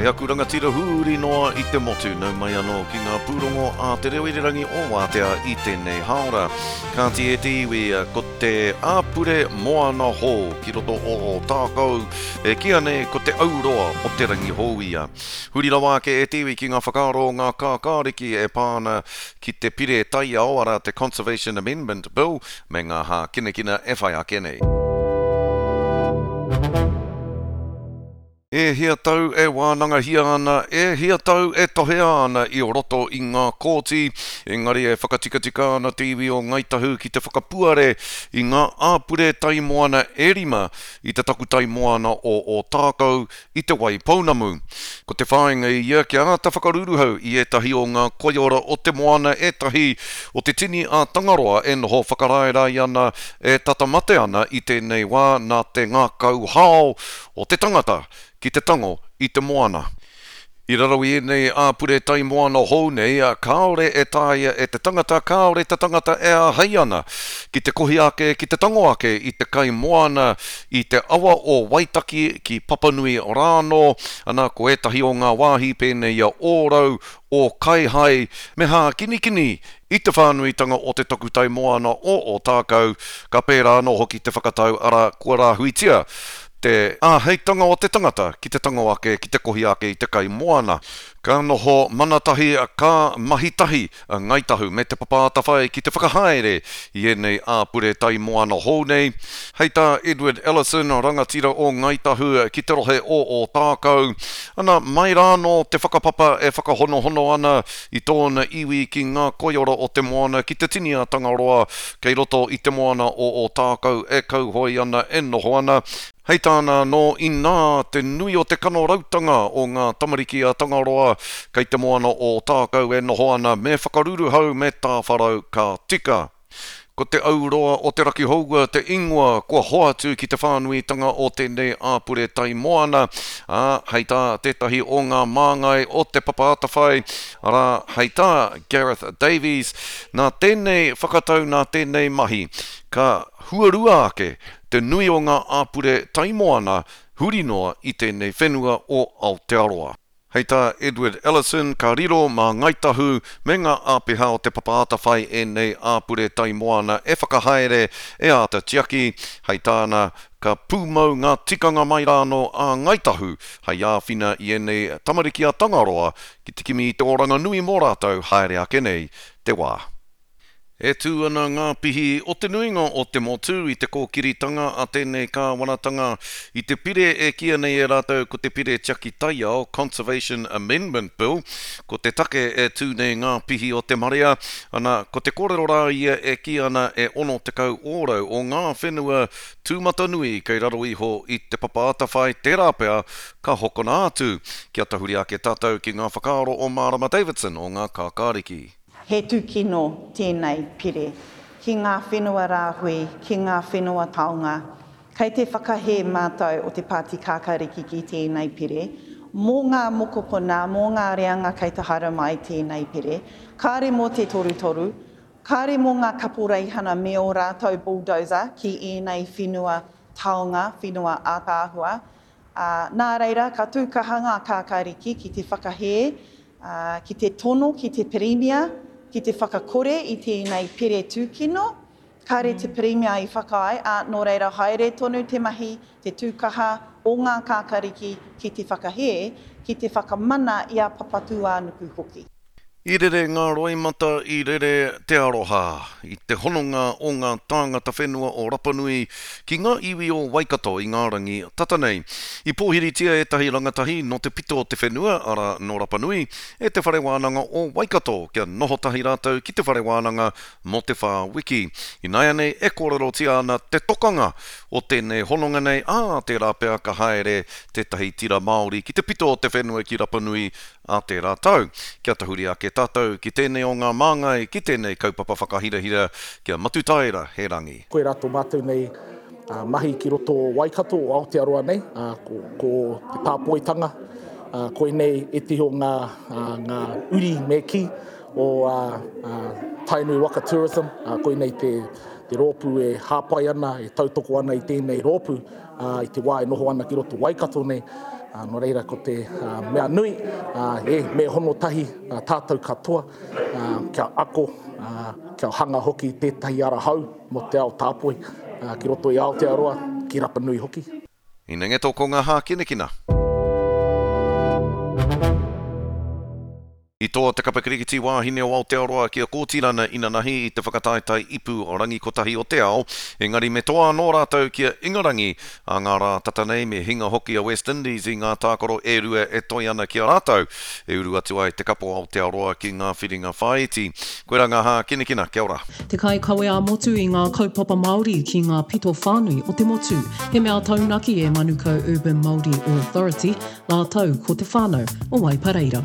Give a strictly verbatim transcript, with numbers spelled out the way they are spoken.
E aku rangatira huri noa i te motu, nau mai anō ki ngā pūrongo a te reo irirangi o Wātea i tēnei hāora. Kāti e te iwi, ko te āpure moana hou ki roto o Ōtākou, e kīia nei ko te auroa o te rangi hou ia. Huri rawa ake e te iwi ki ngā whakaaro o ngā kākāriki e pā ana ki te pire taiao, arā te Conservation Amendment Bill, me ngā hākinakina e whai ake nei. E hia tau e wānangahia ana, e hia tau e tohea ana i roto i ngā kōti, engari e whakatikatika ana te iwi o Ngāi Tahu ki te whakapuare i ngā āpure tai moana e rima i te takutai moana o Ōtākou i Te Waipounamu. Ko te whāinga ia kia āta whakaruruhau i ētahi o ngā koiora o te moana, ētahi o te tini a Tangaroa e noho whakaraerae ana, e tata mate ana i tēnei wā nā te ngākau hao o te tangata ki te tango i te moana. I raro i ēnei āpure tai moana hou nei, kāore e taea e te tangata, kāore te tangata e āhei ana ki te kohi ake, ki te tango ake i te kai moana i te awa o Waitaki ki Papanui rānō, ana ko ētahi o ngā wāhi pēnei i a Ōrau, Ōkaihai, me Hākinikini i te whānuitanga o te takutai moana o Ōtākou, ka pērā anō hoki te whakatau, arā, kua rāhuitia te āheitanga o te tangata ki te tango ake, ki te kohi ake i te kai moana. Ka noho mana tahi, ka mahi tahi a Ngāi Tahu me Te Papa Atawhai ki te whakahaere i ēnei āpure tai moana hou nei. Hei tā Edward Ellison, rangatira o Ngāi Tahu ki te rohe o Ōtākou, ana, mai rānō te whakapapa e whakahonohono ana i tōna iwi ki ngā koiora o te moana ki te tini a Tangaroa kei roto i te moana o Ōtākou e kauhoe ana, e noho ana. Hei tāna anō, inā te nui o te kanorautanga o ngā tamariki a Tangaroa kei te moana o Ōtākou e noho ana, me whakaruruhau, me tāwharau ka tika. Ko te auroa o te Rakihoua te ingoa kua hoatu ki te whānuitanga o tēnei āpure tai moana, ā, hei tā tētahi o ngā māngai o Te Papa Atawhai, arā, hei tā Gareth Davies, nā tēnei whakatau, nā tēnei mahi, ka huarua ake te nui o ngā āpure tai moana huri noa i tēnei whenua o Aotearoa. Hei tā Edward Ellison, ka riro mā Ngāi Tahu me ngā āpiha o Te Papa Atawhai ēnei āpure tai moana e whakahaere, e āta tiaki. Hei tāna, ka pūmau ngā tikanga mai rānō a Ngāi Tahu hei āwhina i ēnei tamariki a Tangaroa ki te kimi i te oranga nui mō rātou haere ake nei te wā. E tū ana ngā pihi o te nuinga o te motu i te kōkiritanga a tēnei kāwanatanga i te pire e kīia nei e rātou ko te Pire Tiaki Taiao, Conservation Amendment Bill. Ko te take e tū nei ngā pihi o te marea, ana, ko te kōrero rā ia e kī ana e ono tekau ōrau o ngā whenua tūmatanui kei raro iho i Te Papa Atawhai tērā pea ka hokona atu. Kia tahuri ake tātou ki ngā whakaaro o Mārama Davidson o Ngā Kākāriki. He tūkino tēnei pire ki ngā whenua rāhui, ki ngā whenua taonga. Kei te whakahē mātou o te Pāti Kākāriki ki tēnei pire. Mō ngā mokopuna, mō ngā reanga kei te haere mai tēnei pire. Kāre mō te torutoru, kāre mō ngā kaporeihana me ō rātou bulldozer ki ēnei whenua taonga, whenua ātaahua. Ā, nā reira, ka tū kaha ngā Kākāriki ki te whakahē, ā, ki te tono ki te Pirimia ki te whakakore i tēnei pire tūkino. Kāre te Pirimia i whakaae, ā, nō reira haere tonu te mahi, te tū kaha o ngā Kākāriki ki te whakahē, ki te whakamana i a Papatūānuku hoki. I rere ngā roimata, i rere te aroha, i te hononga o ngā tāngata whenua o Rapanui ki ngā iwi o Waikato i ngā rangi tata nei. I pōhiritia ētahi rangatahi nō te pito o te whenua, arā, nō Rapanui, e Te Whare Wānanga o Waikato kia noho tahi rātou ki te whare wānanga mō te whā wiki. Ināianei e kōrerotia ana te tokanga o tēnei hononga nei, ā, tērā pea ka haere tētahi tira Māori ki te pito o te whenua ki Rapanui ā tērā tau. Kia tahuri ake tātou ki tēnei o ngā māngai, ki tēnei kaupapa whakahirahira, ki a Matutaera Herangi. Koirā tō mātou nei mahi ki roto o Waikato, o Aotearoa nei, ko, ko te tāpoitanga, koinei ētehi o ngā, ngā uri me kī o Tainui Waka Tourism, koinei te, te rōpū e hāpai ana, e tautoko ana i tēnei rōpū i te wā e noho ana ki roto Waikato nei. Nō reira ko te mea nui, e, me hono tahi tātou katoa kia ako, kia hanga hoki tētahi ara hou mō te ao tāpoi ki roto i Aotearoa, ki Rapa Nui hoki. Inengeto ko ngā hākinakina. I toa te kapa kirikiti wāhine o Aotearoa ki a Kōtirana inanahi i te whakataetae ipu rangi kotahi o te ao, engari me toa anō rātou ki a Ingarangi ā ngā rā tata nei me hinga hoki a West Indies i ngā tākaro e rua e toe ana ki a rātou e uru atu ai te kapa o Aotearoa ki ngā whiringa whāiti. Koirā ngā hākinakina, kia ora. Te kaikawe ā-motu i ngā kaupapa Māori ki ngā pito whānui o te motu. He mea taunaki e Manukau Urban Māori Authority, rātou ko te whānau o Waipareira.